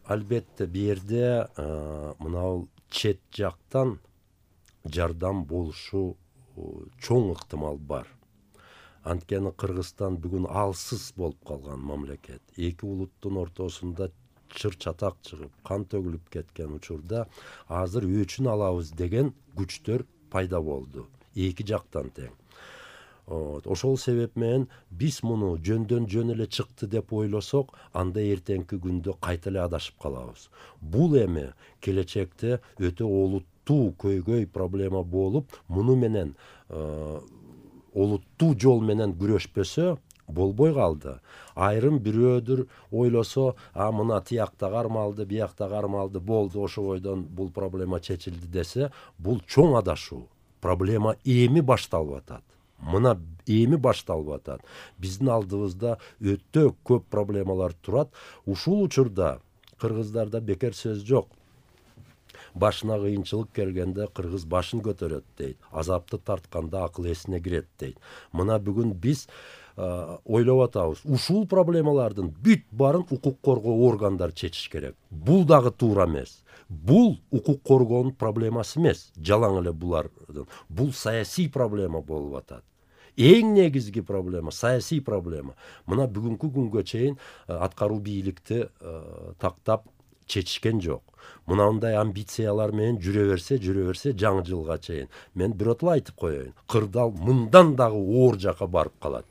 Албетте бу жерде мынау чет жактан жардам болушу чоң ыктымал бар. Анткени Кыргызстан бүгүн алсыз болуп калган мамлекет. Эки улуттун ортосунда чыр чатак чыгып, кан төгүлүп кеткен учурда азыр өчүн алабыз деген күчтөр пайда болду. Эки жактан тең. Ошол себеп менен биз муну жөндөн жөн эле чыкты деп ойлосок, анда эртеңки күндө кайта эле адашып калабыз. Бул эми келечекте өтө олуттуу көйгөй проблема болуп, муну менен олуттуу жол менен күрөшпөсө болбой калды. Айрым бирөөдүр ойлосо, мына тиякта кармалды, биякта кармалды, болду, ошо бойдон бул проблема чечилди десе, бул чоң адашуу. Проблема эми башталып атат. Мына эми башталып атат. Биздин алдыбызда өтө көп проблемалар турат. Ушул учурда кыргыздарда бекер сөз жок. Башына кыйынчылык келгенде кыргыз башын көтөрөт дейт. Азапты тартканда акыл эсине кирет дейт. Мына бүгүн биз ойлоп атабыз. Ушул проблемалардын бүт барын укук коргоо органдары чечиш керек. Бул дагы туура эмес. Бул укук коргоонун проблемасы эмес. Жалаң эле булардын. Бул саясий проблема болуп атат. Эң негизги проблема саясий проблема. Мына бүгүнкү күнгө чейин аткаруу бийликти тактап чечишкен жок. Мынандай амбициялар менен жүрө берсе жаңы жылга чейин мен биротула айтып коеюн. Кырдаал мындан дагы оор жака барып калат.